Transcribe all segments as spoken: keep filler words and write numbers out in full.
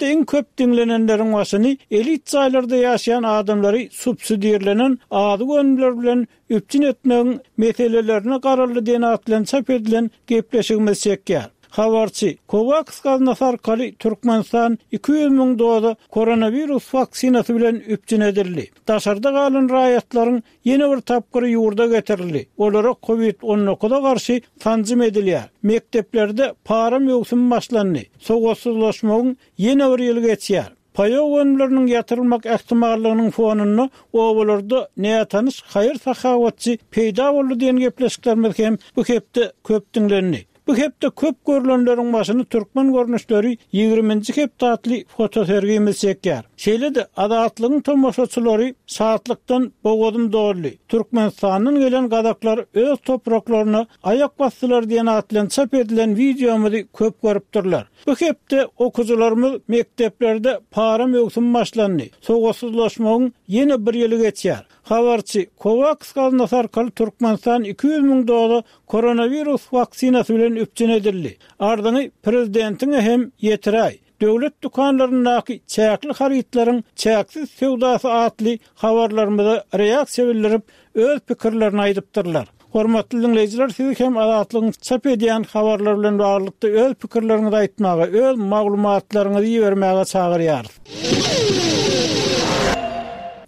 Iň köp diňlenenleriň başyny elit jaýlarda ýaşaýan adamlary subsidirlenen azyk önümleri bilen üpjün etmegiň meselelerine garaldy diýen at bilen çap edilen gepleşigimiz çekýär. Habarçy, Kowaks gaznasy arkaly Türkmenistan iki ýüz müň doza koronawirus waksinasy bilen üpjün edildi. Daşarda galan raýatlaryň ýene bir tapgyry ýurda getirildi. Olara Covid on dokuza garşy sanjym edilýär. Mekdeplerde para möwsümi başlandy. Sowatsyzlaşmagyň ýene bir ýyly geçýär. Paýok önümleriniň ýatyrylmak ähtimallygynyň fonunda obalarda nätanyş haýyr sahawatçy peýda boldy diýen gepleşiklerimiz hem bu hepde köp diňlendi. Bu hepde köp görülenleriň başyny türkmen görnüşleri ýigriminji hepde atly fotosergimiz çekýär. Şeýle-de Azatlygyň tomaşaçylary şatlykdan bogazym doldy. Türkmenistandan gelen gazaklar öz topraklaryna aýak basdylar diýen at bilen çap edilen wideomyzy köp görüpdirler. Bu hepde okuwçylarymyz mekdeplerde para möwsümi başlandy. Sowatsyzlaşmagyň ýene bir ýyly geçýär. Habarçy, Kowaks gaznasy arkaly Türkmenistan iki ýüz müň doza koronawirus waksinasy bilen üpjün edildi. Ardyňy prezidentiňe hem ýetiräý. Döwlet dükanlaryndaky çäkli harytlaryň çäksiz söwdasy atly habarlarymyza reaksiýa bildirip, öz pikirlerini aýdypdyrlar. Hormatly dinleýjiler, sizi hem Azatlygyň çap edýän habarlar bilen baglylykda öz pikirleriňizi aýtmaga, öz maglumatlaryňyzy ibermäge çagyrýarys.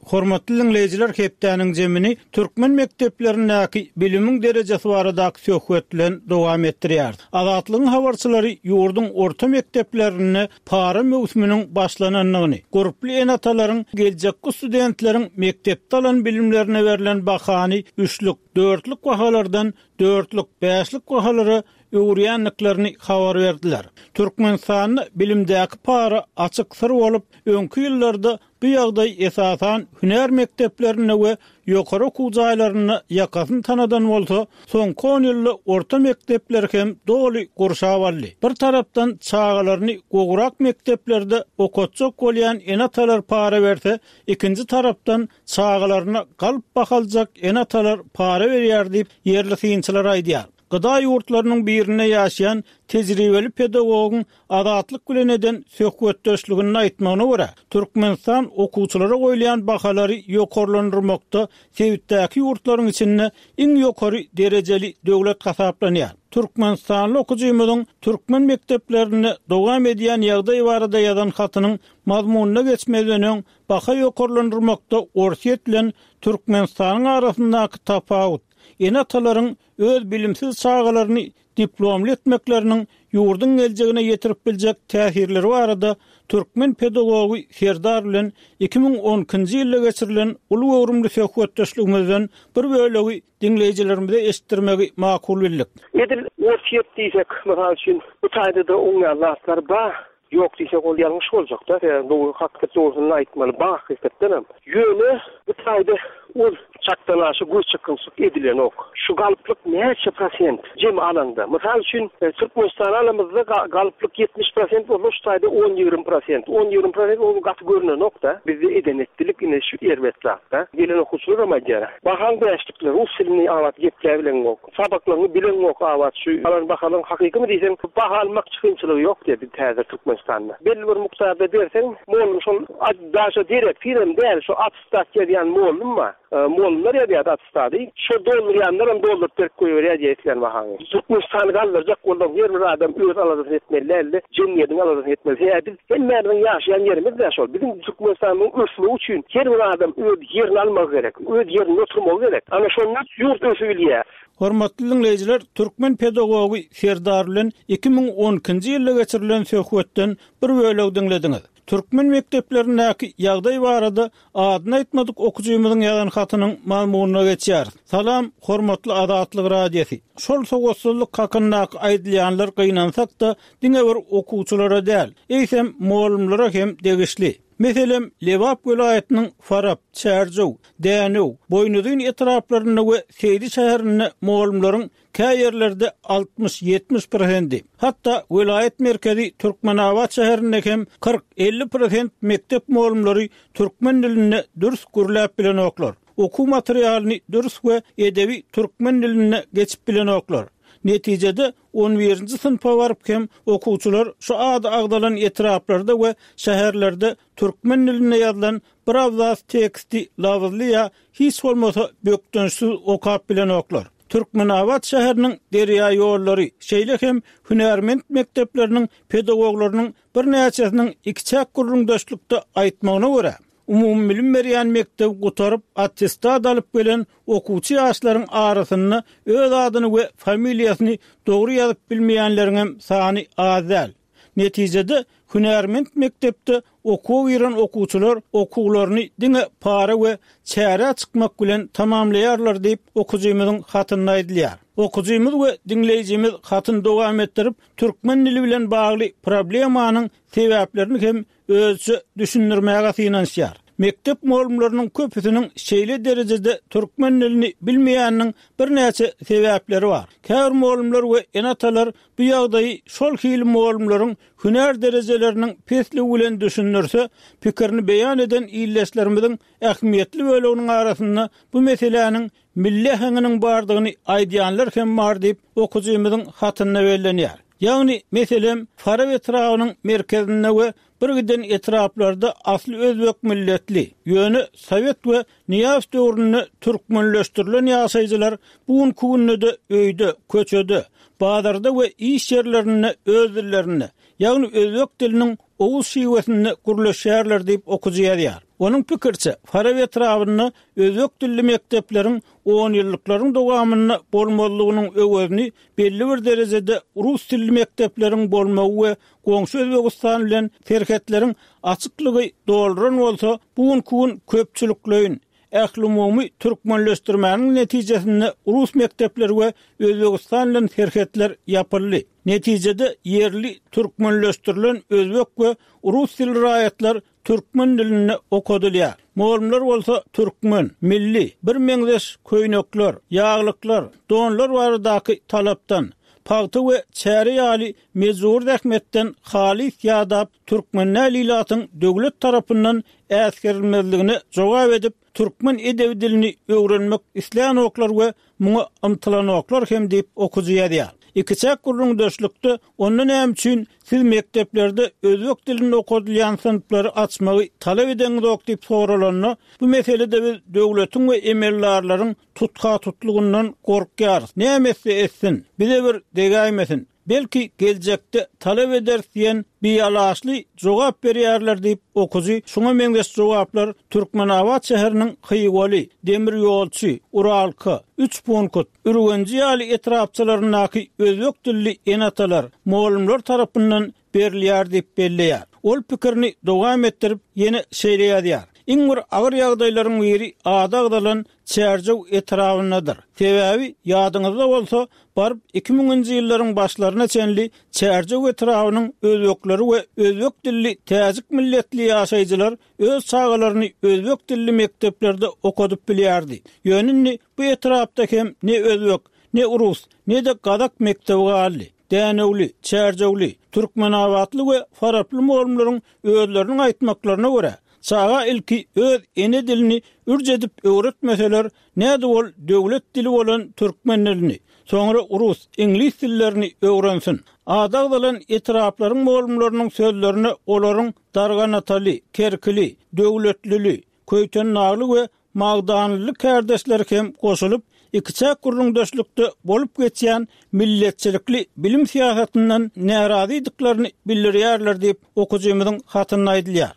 Hormatly dinleýjiler, hepdäniň jemini türkmen mekdeplerindäki bilimiň derejesi baradaky söhbet bilen dowam etdirýär. Azatlygyň habarçylary ýurduň orta mekdeplerinde para möwsüminiň başlanandygyny, gurply ene-atalaryň geljekki studentleriň mekdepde alan bilimlerine berlen bahany üçlük, dörtlük bahalardan dörtlük, bäşlik bahalara öwürýändiklerini habar berdiler. Türkmenistanda bilimdäki para açyk syr bolup, öňki ýyllarda bu ýagdaý esasan hünär mekdeplerinde we ýokary okuw jaýlarynda ýakasyny tanadan bolsa, soňky on ýylda orta mekdepler hem doly gurşap aldy. Bir tarapdan çagalaryny gowrak mekdeplerde okatjak bolýan ene-atalar para berse, ikinji tarapdan çagalaryna galp bahaljak ene-atalar para berýär diýip ýerli synçylar aýdýar. Gıda ýurtlarynyň birinde ýaşaýan tejribeli pedagogyň Azatlyk bilen eden söhbetdeşligini aýtmagyna görä, Türkmenistan okuwçylara goýulýan bahalary ýokarlandyrmakda sebitdäki ýurtlaryň içinde iň ýokary derejeli döwlet hasaplanýar. Türkmenistanly okujymyzyň türkmen mekdeplerinde dowam edýän ýagdaý barada ýazan hatynyň mazmunyna geçmezden öň baha ýokarlandyrmakda Orsýet bilen Türkmenistanyň arasyndaky tapawut, ene-atalaryň öz bilimsiz çagalaryny diplomly etmekleriniň ýurduň geljegine ýetirip biljek täsirleri barada türkmen pedagogy Serdar bilen iki müň on ikinji ýylda geçirilen uly göwrümli söhbetdeşligimizden bir bölegi diňleýjilerimize eşitdirmegi makul bildik. Edil Orsýet diýsek, mysal üçin, bu taýda da oňýan zatlar bar. Ýok diýsek ol ýalňyş boljak da. Ýa, bu hakykat dogrusyny aýtmaly, bar hakykatdan hem. Ýöne bu taýda ol çakdan aşa göz çykgynsyz edilenok. Şu galyplyk näçe prosent jem alanda? Mysal üçin, e, Türkmenistan alamyzda ga-, galyplyk ýetmiş prosent bolsa, şu taýda on ýigrimi prosent. On ýigrimi prosent ol gaty görünenok da. Bizde eden etdilik ine şu erbet zatda. Gelen okuwçylar hem aýdýar. Bahan bäşlikler, rus dilini abat gepläp bilenok. Sabaklaryny bilenok abat şu alan bahalyň hakykymy diýseň, baha almak çykgynçylygy ýok diýdi biz täze Türkmenistanda. Belli bir mukdarda berseň, mollum şol daşa derek firem däl, şu atestat ýazýan mollum bar. E, mollumlar ýazýar atestady. Şu doldurýanlar hem dolduryp berip goýberýär diýip isleýän bahaňy. Türkmenistany galdyrjak bolsaň, her bir adam öz aladasyny etmeli däl-de, jemgyýetiň aladasyny etmeli. Sebäbi biz hemmämiziň ýaşaýan ýerimiz dä şol. Biziň Türkmenistanyň ösmegi üçin her bir adam öz ýerini almagy gerek, öz ýerinde oturmagy gerek. Ana şonda ýurt ösübilýär. Hormatly dinleýjiler, türkmen pedagogy Serdar bilen iki müň on ikinji ýylda geçirilen söhbetden bir bölek diňlediňiz. Türkmen mekdeplerindäki ýagdaý barada adyny aýtmadyk okujymyzyň ýazan hatynyň mazmunyna geçýär. Salam, hormatly Azatlyk Radiosy. Şol sowatsyzlyk hakyndaky aýdylýanlar gynansak-da diňe bir okuwçylara däl, eýsem mollumlara hem degişli. Meselem, Lebap welaýatynyň Farap, Çärjew, Dänew, Boýnuzyn etraplarynda we Seýdi şäherinde mollumlaryň kä ýerlerde altmyş ýetmiş prosendi, hatda welaýat merkezi Türkmenabat şäherinde hem kyrk elli prosent mekdep mollumlary türkmen dilinde dürs gürläp bilenoklar. Okuw materialyny dürs we edebi türkmen dilinde geçip bilenoklar. Netijede on birinji synpa baryp hem okuwçylar şu ady agzalan etraplarda we şäherlerde türkmen dilinde ýazylan bir abzas teksti labyzly ýa hiç bolmasa bökdençsiz okap bilenoklar. Türkmenabat şäheriniň derýa ýollary, şeýle hem hünärment mekdepleriniň pedagoglarynyň birnäçesiniň ikiçäk gürrüňdeşlikde aýtmagyna görä, umumy bilim berýän mekdebi gutaryp attestat alyp gelen okuwçy ýaşlaryň arasynda öz adyny we familiýasyny dogry ýazyp bilmeýänleriň hem sany az däl. Netijede hünärment mekdepde okuwa giren okuwçylar okuwlaryny diňe para we çärä çykmak bilen tamamlaýarlar diýip okujymyzyň hatynda aýdylýar. Okujymyz we diňleýjimiz hatyny dowam etdirip, türkmen dili bilen bagly problemanyň sebäplerini hem özçe düşündirmäge synanyşýar. Mekdep mugallymlarynyň köpüsiniň şeýle derejede türkmen dilini bilmeýäniniň birnäçe sebäpleri bar. Käbir mugallymlar we ene-atalar bu ýagdaýy şol hili mugallymlaryň hünär derejeleriniň pesligi bilen düşündirse, pikirini beýan eden illeşlerimiziň ähmiýetli böleginiň arasynda bu meseläniň milli äheňiniň bardygyny aýdýanlar hem bar diýip okujymyzyň hatynda bellenýär. Ýagny, meselem, Farap etrabynyň merkezinde we bir giden etraplarda asly özbek milletli, ýöne Sowet we Nyýazow döwründe türkmenleşdirilen ýaşaýjylar bu günki günde-de öýde, köçede, bazarda we iş ýerlerinde öz dillerinde, ýagny özbek diliniň oguz şiwesinde gürleşýärler diýip okujy ýazýar. Onuň pikiriçe, Farap etrabynda özbek dilli mekdepleriň on ýyllyklaryň dowamynda bolmazlygynyň öwezini belli bir derejede rus dilli mekdepleriň bolmagy we goňşy Özbegistan bilen serhetleriň açyklygy dolduran bolsa, bu günki gün köpçülikleýin ählumumy türkmenleşdirmäniň netijesinde rus mekdepleri we Özbegistan bilen serhetler ýapyldy. Netijede ýerli türkmenleşdirilen özbek we rus dilli raýatlar türkmen dilinde okadylýar. Mugallymlar bolsa türkmen, milli, bir meňzeş köýnekler, ýaglyklar, donlar baradaky talapdan, pagta we çäre ýaly mejbur zähmetden halys ýadap türkmen ilatyň döwlet tarapyndan äsgerilmezligine jogap edip, türkmen edebi dilini öwrenmek islänoklar we muňa ymtylanoklar hem diýip okujy ýazýar. Ikiçäk gürrüňdeşlikde onda näme üçin siz mekdeplerde özbek dilinde okadylýan synplary açmagy talap edeňizok diýip soralanda, bu meselede biz döwletiň we emeldarlaryň tutha-tutlugyndan gorkýarys. Näme etse etsin, bize bir degäýmesin. Belki geljekde talap ederis diýen bialaşly jogap berýärler diýip okujy şuňa meňzeş jogaplar Türkmenabat şäheriniň Hywaly, Demirýolçy, Uralka, Üç Punkut, Ürgenji ýaly etrapçalaryndaky özbek dilli ene-atalar, mugallymlar tarapyndan berilýär diýip belleýär. Ol pikirini dowam etdirip ýene şeýle ýazýar. Iň bir agyr ýagdaýlaryň biri ady agzalan Çärjew etrabyndadyr. Sebäbi ýadyňyzda bolsa, baryp iki müňünji ýyllaryň başlaryna çenli Çärjew etrabynyň özbekleri we özbek dilli täjik milletli ýaşaýjylar öz çagalaryny özbek dilli mekdeplerde okadyp bilýärdi. Ýöne indi bu etrapda hem ne özbek, ne rus, ne de gazak mekdebi galdy. Dänewli, Çärjewli, Türkmenabatly we Faraply mugallymlaryň özleriniň aýtmaklaryna görä, çaga ilki öz ene dilini ürc edip öwretmeseler, näde ol döwlet dili bolan türkmen dilini, soňra rus, iňlis dillerini öwrensin. Ady agzalan etraplaryň mugallymlarynyň sözlerine olaryň Darganataly, Kerkili, Döwletlili, Köýtendagly we Magdanly kärdeşleri hem goşulyp, ikiçäk gürrüňdeşlikde bolup geçýän milletçilikli bilim syýasatyndan närazydyklaryny bildirýärler diýip okujymyzyň hatynda aýdylýar.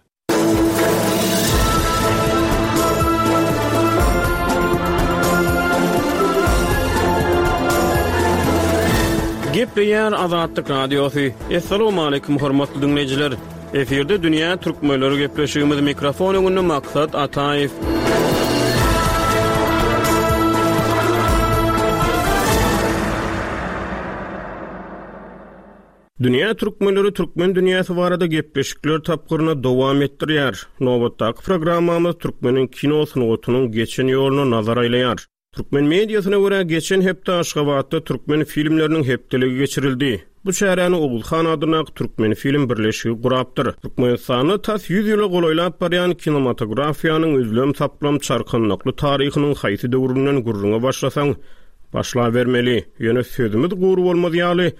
Gepleýär Azatlyk Radiosy. Assalamu hormatly dinleýjiler. Efirde Dünýä Türkmenleri gepleşigimiz mikrofon öňünde Maksat Ataýew. Dünýä Türkmenleri Türkmen dünýäsi barada gepleşikler tapgyryna dowam etdirýär. Nobatdaky programmamyz Türkmeniň kino sungatynyň geçen ýoluna nazar aýlaýar. Türkmen mediasyna görä geçen hepde Aşgabatda türkmen filmleriniň hepdeligi geçirildi. Bu çäräni Oguzhan adyndaky Türkmen film birleşigi gurapdyr. Türkmenistanda tas ýüz ýyla golaýlap barýan kinematografiýanyň üzlem saplam çarkanlykly taryhynyň haýsy döwründen gürrüňe başlasaň, Başlabermeli. Ýöne sözümiz gury bolmaz ýaly,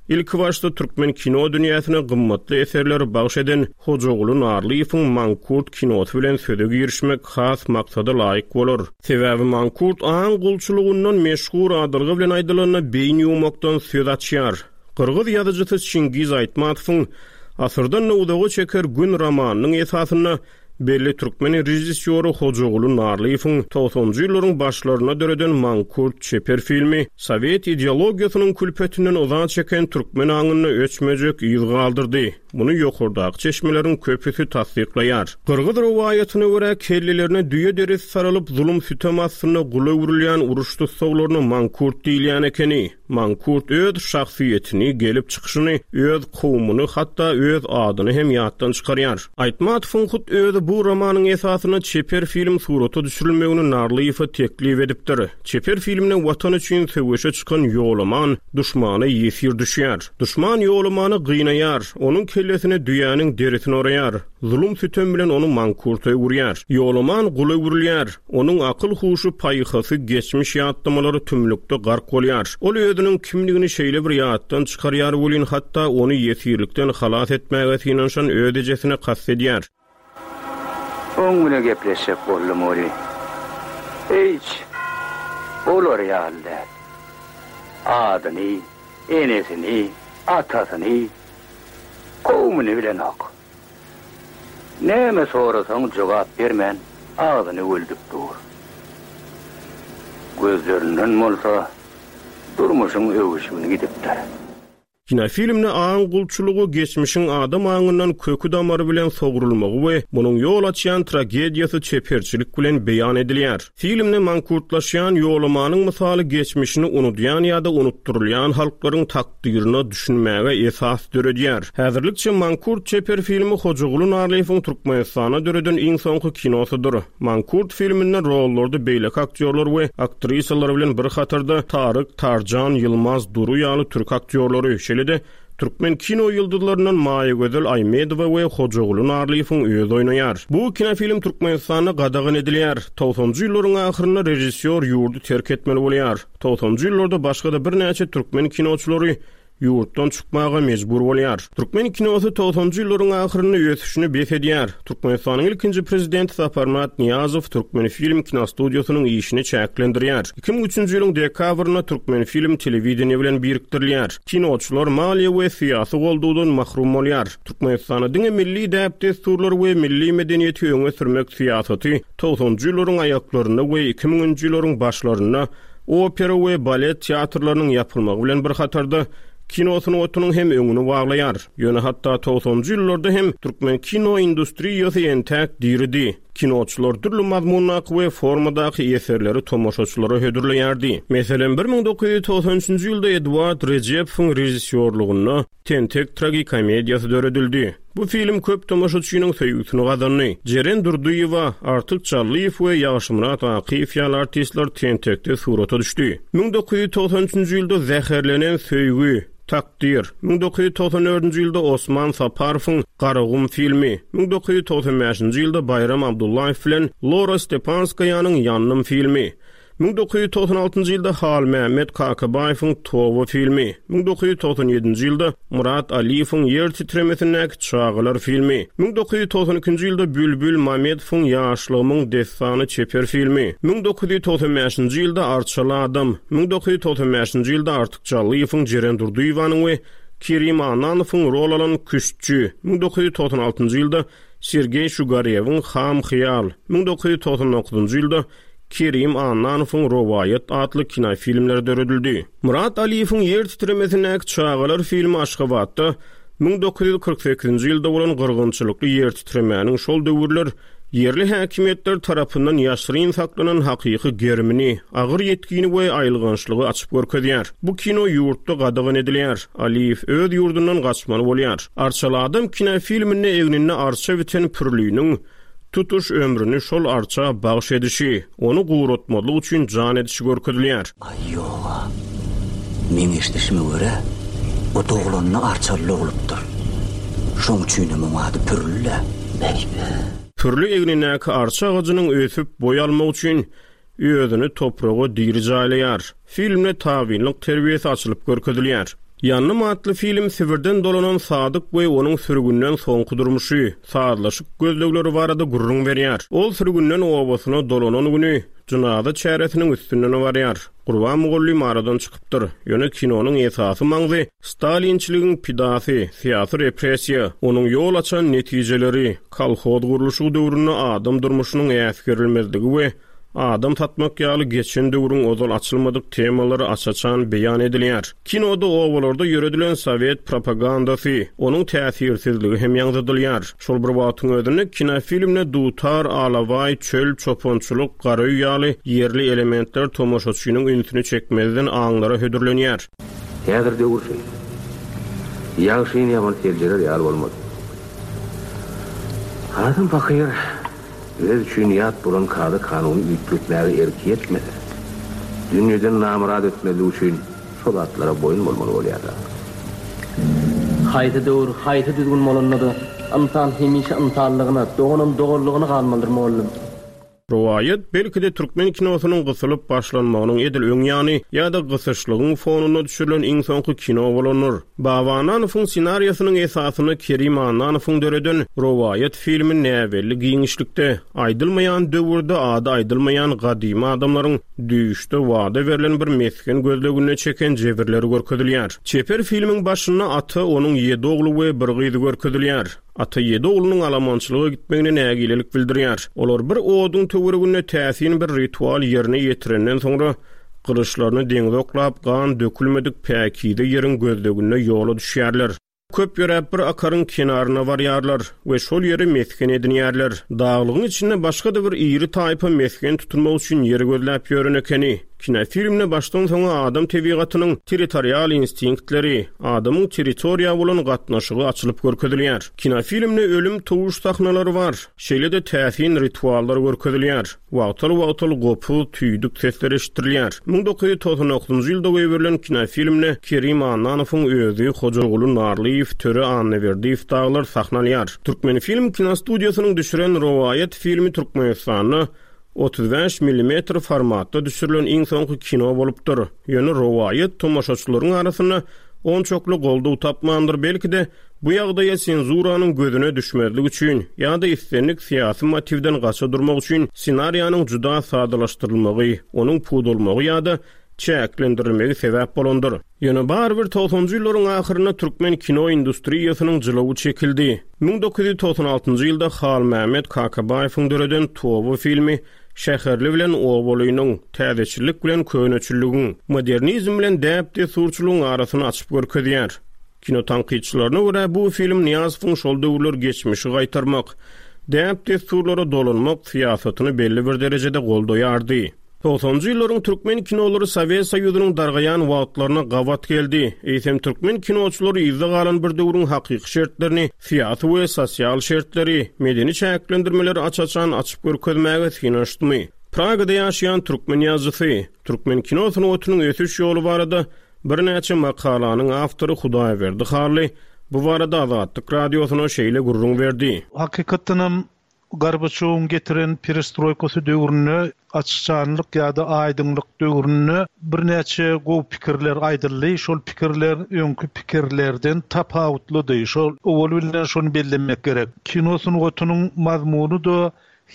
ilki başda türkmen kino dünýäsine gymmatly eserleri bagş eden Hojaguly Narlyýewiň Mankurt kinosy bilen söze girişmek has maksada laýyk bolar. Sebäbi Mankurt aň gulçulygyndan meşhur adalga bilen aýdylanda beýin ýuwmakdan söz açýar. Gyrgyz ýazyjysy Çingiz Aýtmatowyň Asyrdan uzaga çeker gün romanynyň esasynda belli türkmen režissýory Hojaguly Narlyýewiň togsanjy ýyllaryň başlarynda döreden Mankurt çeper filmi Sowet ideologiýasynyň külpetinden yza çeken türkmen aňynda öçmejek yz galdyrdy. Muny ýokardaky çeşmeleriň köpüsi tassyklaýar. Gyrgyz rowaýatyna görä kellelerine düýe derisi saralyp zulum sütem astynda gula öwrülýän uruş tussaglaryna Mankurt diýilýän ekeni. Mankurt öz şahsyýetini, gelip çykyşyny, öz kowumyny, hatda öz adyny hem ýatdan çykarýar. Aýtmatowyň hut özi bu romanyň esasynda çeper film surata düşürilmegini Narlyýewe teklip edipdir. Çeper filmde watan üçin söweşe çykan Ýolaman duşmana ýesir düşýär. Duşman Ýolamany gynaýar, onuň kellesine düýäniň derisini oraýar. Zulum sütem bilen ony Mankurta öwürýär. Ýolaman gula öwrülýär. Onuň akyl huşy paýhasy geçmiş ýatlamalary tümlükde gark bolýar. Ol özüniň kimligini şeýle bir ýatdan çykarýar welin hatda ony ýesirlikden halas etmäge synanyşan öz ejesine kast edýär. Oň bilen gepleşjek boldum ori. Hiç olar ýaly däl. Adyny, enesini, atasyny, kowumyny bilenok. Näme sorasaň jogap bermän agzyny öldüp dur. Gözlerinden bolsa durmuşyň öwüşgini gidipdir. Kinofilmde aň gulçulygy geçmişiň adam aňyndan köki damary bilen sogrulmagy we munuň ýol açýan tragediýasy çeperçilik bilen beýan edilýär. Filmde mankurtlaşýan Ýolamanyň mysaly geçmişini unudýan ýa-da unutdurylýan halklaryň takdyryna düşünmäge esas döredýär. Häzirlikçe Mankurt çeper filmi Hojaguly Narlyýewiň Türkmenistanda döreden iň soňky kinosydyr. Mankurt filminde rollarda beýleki aktýorlar we aktrisalar bilen bir hatarda Taryk Tarjan, Ýylmaz Duru ýaly türk aktýorlary, şeýle de türkmen kino ýyldyzlaryndan Maýagözel Aýmedowa we Hojaguly Narlyýewiň özi oýnaýar. Bu kinofilm Türkmenistanda gadagan edilýär. Togsanjy ýyllaryň ahyrynda režissýor ýurdy terk etmeli bolýar. Togsanjy ýyllarda başga-da birnäçe türkmen kinoçylary ýurtdan çykmaga mejbur bolýar. Türkmen kinosy togsanjy ýyllaryň ahyrynda ösüşini bes edýär. Türkmenistanyň ilkinji prezidenti Saparmyrat Nyýazow Türkmen film kinostudiýasynyň işini çäklendirýär. iki müň üçünji ýylyň dekabrynda Türkmen film telewideniýe bilen birikdirilýär. Kinoçylar maliýe we syýasy goldawdan mahrum bolýar. Türkmenistanda diňe milli däp-dessurlar we milli medeniýeti öňe sürmek syýasaty togsanjy ýyllaryň aýaklarynda we iki müňünji ýyllaryň başlarynda opera we balet teatrlarynyň ýapylmagy bilen bir hatarda kino sungatynyň hem öňüni baglaýar. Ýöne hatda togsanjy ýyllarda hem türkmen kino industriýasy entäk diridi. Kinoçylar dürli mazmundaky we formadaky eserleri tomaşaçylara hödürleýärdi. Meselem, bir müň dokuz ýüz togsan üçünji ýylda Eduard Rejepowyň režissýorlygynda Tentek tragikomediýasy döredildi. Bu film köp tomaşaçynyň söýgüsini gazandy. Jeren Durdyýewa, Artyk Çallyýew we Ýagşymyrat Akyýew ýaly artistler Tentekde surata düşdi. Müň dokuz ýüz togsan üçünji ýylda Zäherlenen söýgi, Takdyr, müň dokuz ýüz togsan dördünji ýylda Osman Saparowyň Garagum filmi, müň dokuz ýüz togsan bäşinji ýylda Baýram Abdullaýew bilen Lora Stepanskaýanyň Ýandym filmi, müň dokuz ýüz togsan altynjy ýylda Halmämmet Kakabaýewiň Toba filmi, müň dokuz ýüz togsan ýedinji ýylda Murat Aliýewiň Ýer titremesindäki çagalar filmi, müň dokuz ýüz togsan ikinji ýylda Bülbül Mamedowyň Ýaşlygymyň dessany çeper filmi, müň dokuz ýüz togsan bäşinji ýylda Arçaly adam, müň dokuz ýüz togsan bäşinji ýylda Artyk Çallyýewiň Jeren Durdyýewanyň we Kerim Annanowyň rol alan Küştçi, müň dokuz ýüz togsan altynjy ýylda Sergeý Şugarýewiň Ham Hyýal, müň dokuz ýüz togsan dokuzynjy ýylda Kerim Annanowyň Rowaýat atly kinofilmleri döredildi. Murat Aliýewiň Ýer titremesindäki çagalar filmi Aşgabatda müň dokuz ýüz kyrk sekizinji ýylda bolan gyrgynçylykly ýer titremäniň şol döwürler ýerli häkimiýetler tarapyndan ýaşyryn saklanan hakyky gerimini, agyr ýetgini we aýylgançlygy açyp görkezýär. Bu kino ýurtda gadagan edilýär. Aliýew öz ýurdundan gaçmaly bolýar. Arçaly adam kinofilminde egninde arça biten Pürliniň tutuş ömrüni şol arça bagş edişi, ony guratmazlyk üçin jan edişi görkezilýär. Aý ýoga. Men eşidişime görä, o doglanny arçaly bolupdyr. Şoň üçin hem oň ady Pürli. Beýbe. Pürli egnindäki arça agajynyň ösüp boý almak üçin özüni topraga diri jaýlaýar. Filmde tabynlyk terbiýesi açylyp görkezilýär. Ýandym atly film Sibirden dolanan Sadyk we onuň sürgünden soňky durmuşy, sazlaşyk gözlegleri barada gürrüň berýär. Ol sürgünden obasyna dolanan güni jynaza çäresiniň üstünden barýar. Gurban mugallym aradan çykypdyr. Ýöne kinonyň esasy maňzy Stalinçiligiň pidasy, syýasy repressiýa, onuň ýol açan netijeleri, kolhoz gurluşygy döwründe adam durmuşynyň äsgerilmezligi we adam satmak ýaly geçen döwrüň ozal açylmadyk temalary aç-açan beýan edilýär. Kinoda obalarda ýöredilen sowet propagandasy, onuň täsirsizligi hem ýaňzydylýar. Şol bir wagtyň özünde kinofilmde dutar, alabaý, çöl, çopançylyk, garaý ýaly ýerli elementler tomaşaçynyň ünsüni çekmezden aňlara hödürlenýär. Häzir döwür şeýle. Ýagşyny ýaman seljerer ýaly bolmaz. Adam pahyr öz üçin ýat bolan kada kanuny üýtgetmäge erki ýetmese, dünýeden namyrat etmezlik üçin şol zatlara boýun bolmaly bolýar. Haýsy döwür, haýsy düzgün bolanda-da ynsan hemişe ynsanlygyna, doganam doganlygyna galmalydyr mugallym. Rowaýat belki-de türkmen kinosynyň gysylyp başlanmagynyň edil öň ýany ýa-da gysyşlygyň fonunda düşürilen iň soňky kino bolandyr. Baba Annanowyň ssenariýasynyň esasynda Kerim Annanowyň döreden Rowaýat filmi näbelli giňişlikde, aýdylmaýan döwürde ady aýdylmaýan gadymy adamlaryň düýşde wada berlen bir mesgen gözleginde çeken jebirleri görkezilýär. Çeper filmiň başynda ata onuň ýedi ogly we bir gyzy görkezilýär. Ata ýedi oglunyň alamançylyga gitmegine nägilelik bildirýär. Olar bir oduň töwereginde täsin bir ritual ýerine ýetirenden soňra gylyçlaryny deňze oklap, gan dökülmedik päkize ýeriň gözleginde ýola düşýärler. Köp ýöräp bir akaryň kenaryna barýarlar we şol ýeri mesgen edinýärler. Daglygyň içinde başga-da bir iri taýpa mesgen tutunmak üçin ýer gözläp ýören ekeni. Kinofilmde başdan soňa adam tebigatynyň territorial instinktleri, adamyň territoriýa bolan gatnaşygy açylyp görkezilýär. Kinofilmde ölüm towuş sahnalary bar. Şeýle-de täsin rituallar görkezilýär. Wagtal-wagtal gopuz, tüýdük sesler eşitdirilýär. müň dokuz ýüz togsan dokuzynjy ýylda goýberilen kinofilmde Kerim Annanowyň özi, Hojaguly Narlyýew, Töre Annaberdiýew daglar sahna alýar. Türkmen film kinostudiýasynyň düşüren Rowaýat filmi Türkmenistanda otuz bäş millimetr formatda düşürilen iň soňky kino bolupdyr. Ýöne rowaýat tomaşaçylaryň arasynda onçakly goldaw tapmandyr, belki-de bu ýagdaýa senzuranyň gözüne düşmezlik üçin ýa-da islendik syýasy motiwden gaça durmak üçin ssenariýanyň juda sadalaşdyrylmagy, onuň pudalmagy ýa-da çäklendirilmegi sebäp bolandyr. Ýöne barybir togsanjy ýyllaryň ahyrynda türkmen kino industriýasynyň jylawy çekildi. müň dokuz ýüz togsan altynjy ýylda Halmämmet Kakabaýewiň döreden Toba filmi şäherli bilen obalynyň, täzeçillik bilen köneçilligiň, modernizm bilen däp-dessurçylygyň arasyny açyp görkezýär. Kino tankytçylaryna görä bu film Nyýazowyň şol döwürler geçmişi gaýtarmak, däp-dessurlara dolanmak syýasatyny belli bir derejede goldaýardy. Togsanjy ýyllaryň türkmen kinolary Sowet Soýuzynyň dargaýan wagtlaryna gabat geldi. Eýsem türkmen kinoçylary yzda galan bir döwrüň hakyky şertlerini, syýasy we sosial şertleri, medeni çäklendirmeleri aç-açan açyp görkezmäge synanyşdymy? Pragada ýaşaýan türkmen ýazyjysy, türkmen kino sungatynyň ösüş ýoly barada birnäçe makalanyň awtory Hudaýberdi Hally bu barada Azatlyk radiosyna şeýle gürrüň berdi. Hakykatdanam Gorbaçowyň getiren perestroykasy döwründe açyşanlyk ýa-da aýdyňlyk döwründe birnäçe gowy pikirler aýdyldy. Şol pikirler öňki pikirlerden tapawutlydy. Şol owal bilen şony bellemek gerek. Kino sungatynyň mazmuny da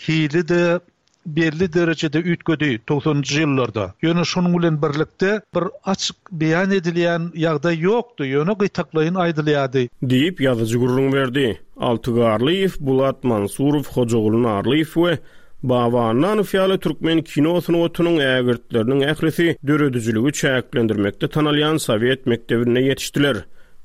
hili de belli derejede üýtgedi togsanjy ýyllarda. Ýöne şonuň bilen birlikde bir açyk beýan edilýän ýagdaý ýokdy. Ýöne gytaklaýyn aýdylýardy. Diýip ýazyjy gürrüň berdi. Alty Garlyýew, Bulat Mansurow, Hojaguly Narlyýew we Baba Annanow ýaly türkmen kino sungatynyň ägirtleriniň ählisi döredijiligi çäklendirmekde tanalýan sowet mekdebinde ýetişdiler.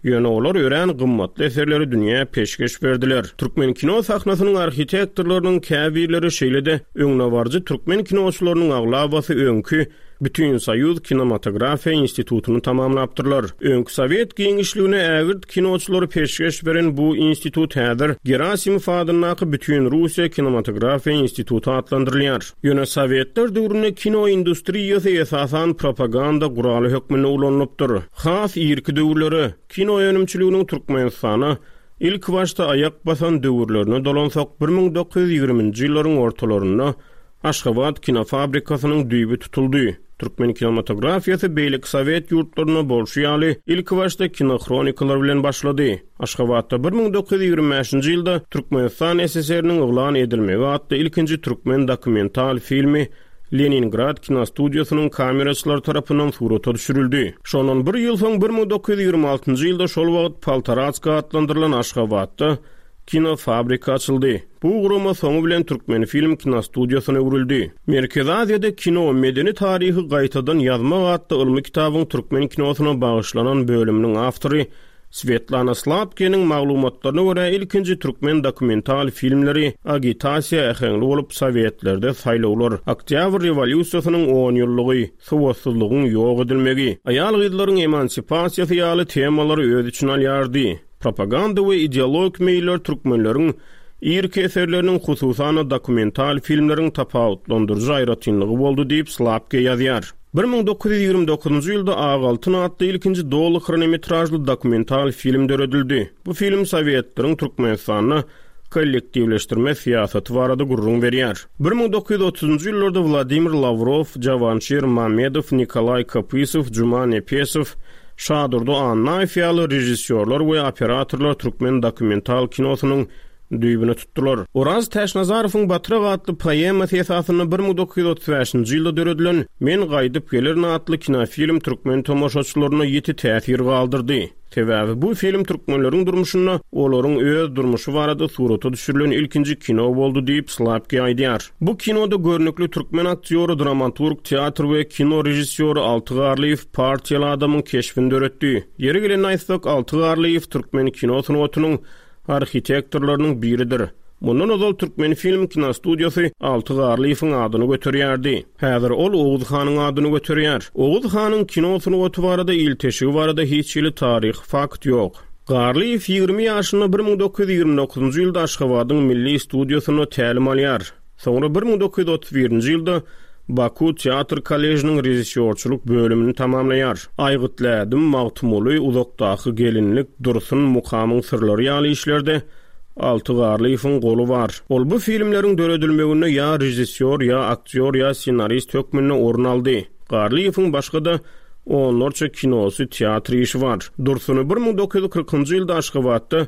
Ýöne olar örän gymmatly eserleri dünýä peşgeş berdiler. Türkmen kino sahnasynyň arhitektorlarynyň käbirleri şeýle-de öňdebaryjy türkmen kinoçylarynyň aglabasy öňki Bütün Soýuz Kinematografiýa institutyny tamamlapdyrlar. Öňki sowet giňişligine ägirt kinoçylary peşgeş beren bu institut häzir Gerasimov adyndaky Bütün Russiýa Kinematografiýa instituty atlandyrylýar. Ýöne sowetler döwründe kino industriýasy esasan propaganda guraly hökmünde ulanylypdyr. Has irki döwürlere kino önümçiliginiň Türkmenistana ilk başda aýak basan döwürlerine dolansak bir müň dokuz ýüz ýigriminji ýyllaryň ortalarynda Aşgabat kinofabrikasynyň düýbi tutuldy. Türkmen kinematografiýasy beýleki sowet ýurtlarynda bolşy ýaly ilkibaşda kinohronikalar bilen başlady. Aşgabatda bir müň dokuz ýüz ýigrimi bäşinji ýylda Türkmenistan S S R-niň yglan edilmegi atly ilkinji türkmen dokumental filmi Leningrad kinostudiýasynyň kameraçylary tarapyndan surata düşürildi. Şondan bir ýyl soň bir müň dokuz ýüz ýigrimi altynjy ýylda şol wagt Poltaratska atlandyrylan Aşgabatda kinofabrika açyldy. Bu gurama soňy bilen Türkmenfilm kinostudiýasyna öwrüldi. Merkezi Aziýada kino medeni taryhy gaýtadan ýazmak atly ylmy kitabyň türkmen kinosyna bagyşlanan bölüminiň awtory Svetlana Slapkeniň maglumatlaryna görä ilkinji türkmen dokumental filmleri agitasiýa äheňli bolup Sowetlerde saýlawlar, Oktýabr rewolýusiýasynyň on ýyllygy, sowatsyzlygyň ýok edilmegi, aýal-gyzlaryň emansipasiýasy ýaly temalary öz içine alýardy. Propaganda we ideologik meýiller türkmenleriň irki eserleriniň hususan dokumental filmleriň tapawutlandyryjy aýratynlygy boldy diýip Slapke ýazýar. Bir müň dokuz ýüz ýigrimi dokuzynjy ýylda Ak altyn atly ilkinji doly hronometražly dokumental film döredildi. Bu film Sowetleriň Türkmenistanda kollektiwleşdirme syýasaty barada gürrüň berýär. Bir müň dokuz ýüz otuzynjy ýyllarda Wladimir Lawrow, Jawanşir Mamedow, Nikolay Kopysow, Juma Nepesow, Şadurdy Annaýew ýaly režissýorlar we operatorlar türkmen dokumental kinosynyň düýbüni tutdular. Oraz Täçnazarowyň Batrak atly poemasy esasynda bir müň dokuz ýüz otuz bäşinji ýylda döredilen Men gaýdyp gelerin atly kinofilm türkmen tomaşaçylaryna ýiti täsir galdyrdy. Sebäbi bu film türkmenleriň durmuşynda olaryň öz durmuşy barada surata düşürilen ilkinji kino boldy diýip Slapke aýdýar. Bu kinoda görnükli türkmen aktýory, dramaturg, teatr we kino režissýory Alty Garlyýew partiýaly adamyň keşbini döretdi. Ýeri gelende aýtsak, Alty Garlyýew türkmen kino sungatynyň arhitektorlarynyň biridir. Mundan ozal Türkmen film kinostudiýasy Alty Garlyýewiň adyny göterýärdi. Häzir ol Oguz hanyň adyny göterýär. Oguz hanyň kino sungaty barada ilteşigi barada hiç hili taryhy fakt ýok. Garlyýew ýigrimi ýaşynda bir müň dokuz ýüz ýigrimi dokuzynjy ýylda Aşgabadyň Milli studiýasynda tälim alýar. Soňra bir müň dokuz ýüz otuz birinji ýylda Baku Teatr Kolležiniň režissýorçylyk bölümini tamamlaýar. Aýgytly ädim, Magtymguly, Uzakdaky gelinlik, Dursun, Mukamyň syrlary ýaly işlerde Alty Garlyýewiň goly bar. Ol bu filmleriň döredilmeginde ýa režissýor, ýa aktýor, ýa ssenarist hökmünde orun aldy. Garlyýewiň başga-da onlarça kinosy, teatr işi bar. Dursuny bir müň dokuz ýüz kyrkynjy ýylda Aşgabatda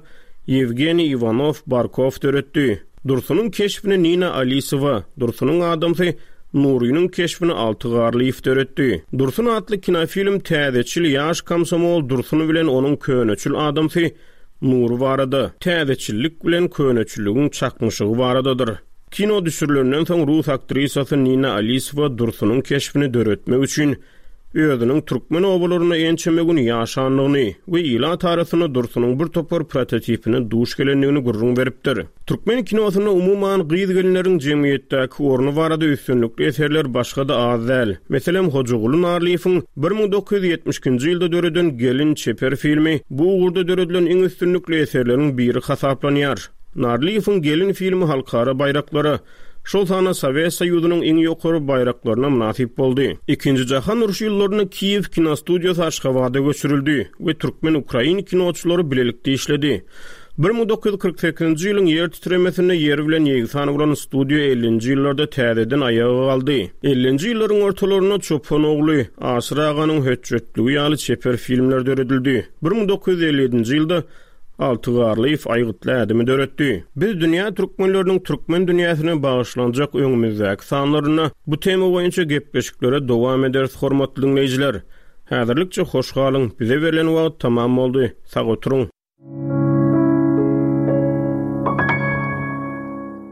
Ýewgeniý Iwanow Barkow döretdi. Dursunyň keşbini Nina Alisowa, Dursunyň adamsy Nurynyň keşbini Alty Garlyýew döretdi. Dursun atly kinofilm täzeçil ýaş komsomol Dursun bilen onuň köneçil adamsy Nury barada, täzeçillik bilen köneçilligiň çaknyşygy baradadyr. Kino düşürilenden soň rus aktrisasy Nina Alisowa Dursunyň keşbini döretmek üçin özüniň türkmen obalarynda ençeme gün ýaşandygyny we ilat arasynda Dursunyň bir topar prototipine duş gelendigini gürrüň beripdir. Türkmen kinosynda umuman gyz gelinleriň jemgyýetdäki orny barada üstünlikli eserler başga-da az däl. Meselem, Hojaguly Narlyýewiň bir müň dokuz ýüz ýetmiş ikinji ýylda döreden Gelin çeper filmi bu ugurda döredilen iň üstünlikli eserleriň biri hasaplanýar. Narlyýewiň Gelin filmi halkara baýraklara, şol sanda Sowet Soýuzynyň iň ýokary baýraklaryna mynasyp boldy. Ikinji jahan urşy ýyllarynda Kiýew kinostudiýasy Aşgabada göçürildi we türkmen-ukrain kinoçylary bilelikde işledi. Bir müň dokuz ýüz kyrk sekizinji ýylyň ýer titremesinde ýer bilen ýegsan bolan studiýa ellinji ýyllarda täzeden aýaga galdy. Ellinji ýyllaryň ortalarynda Çopan ogly, Aşyr aganyň hötjetligi ýaly çeper filmler döredildi. Bir müň dokuz ýüz elli ýedinji ýylda Alty Garlyýew aýgytly ädimi döretdi. Biz dünýä türkmenleriniň türkmen dünýäsine bagyşlanjak öňümizdäki sanlarynda bu tema boýunça gepleşiklere dowam ederis hormatly dinleýjiler. Häzirlikçe hoş galyň, bize berlen wagt tamam boldy. Sag oturyň.